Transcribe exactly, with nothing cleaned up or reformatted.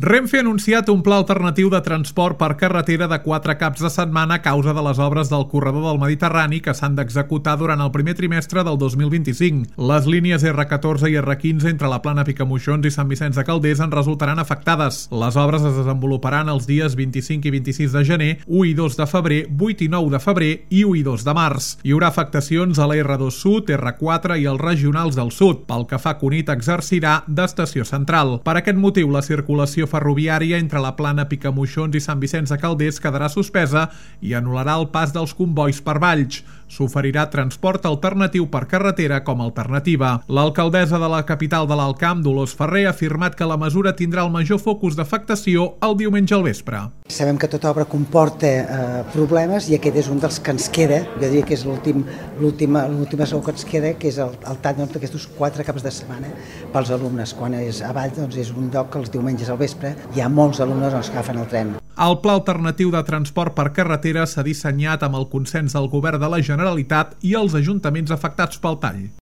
Renfe ha anunciat un pla alternatiu de transport per carretera de quatre caps de setmana a causa de les obres del corredor del Mediterrani que s'han d'executar durant el primer trimestre del dos mil vint-i-cinc. Les línies erre catorze i erre quinze entre la Plana Picamoixons i Sant Vicenç de Calders en resultaran afectades. Les obres es desenvoluparan els dies vint-i-cinc i vint-i-sis de gener, u i dos de febrer, vuit i nou de febrer i u i dos de març. Hi haurà afectacions a la erre dos Sud, erre quatre i els regionals del sud. Pel que fa, Cunit exercirà d'estació central. Per aquest motiu, la circulació ferroviària entre la Plana Picamoixons i Sant Vicenç de Calders quedarà suspesa i anul·larà el pas dels combois per Valls. S'oferirà transport alternatiu per carretera com a alternativa. L'alcaldessa de la capital de l'Alt Camp, Dolors Ferrer, ha afirmat que la mesura tindrà el major focus d'afectació el diumenge al vespre. Sabem que tota obra comporta eh, problemes i aquest és un dels que ens queda, jo diria que és l'últim l'última l'última segur que ens queda, que és el, el tall doncs, d'aquests quatre caps de setmana pels alumnes. Quan és a Valls doncs, és un lloc que els diumenges al vespre hi ha molts alumnes doncs, que agafen el tren. El pla alternatiu de transport per carretera s'ha dissenyat amb el consens del Govern de la Generalitat i els ajuntaments afectats pel tall.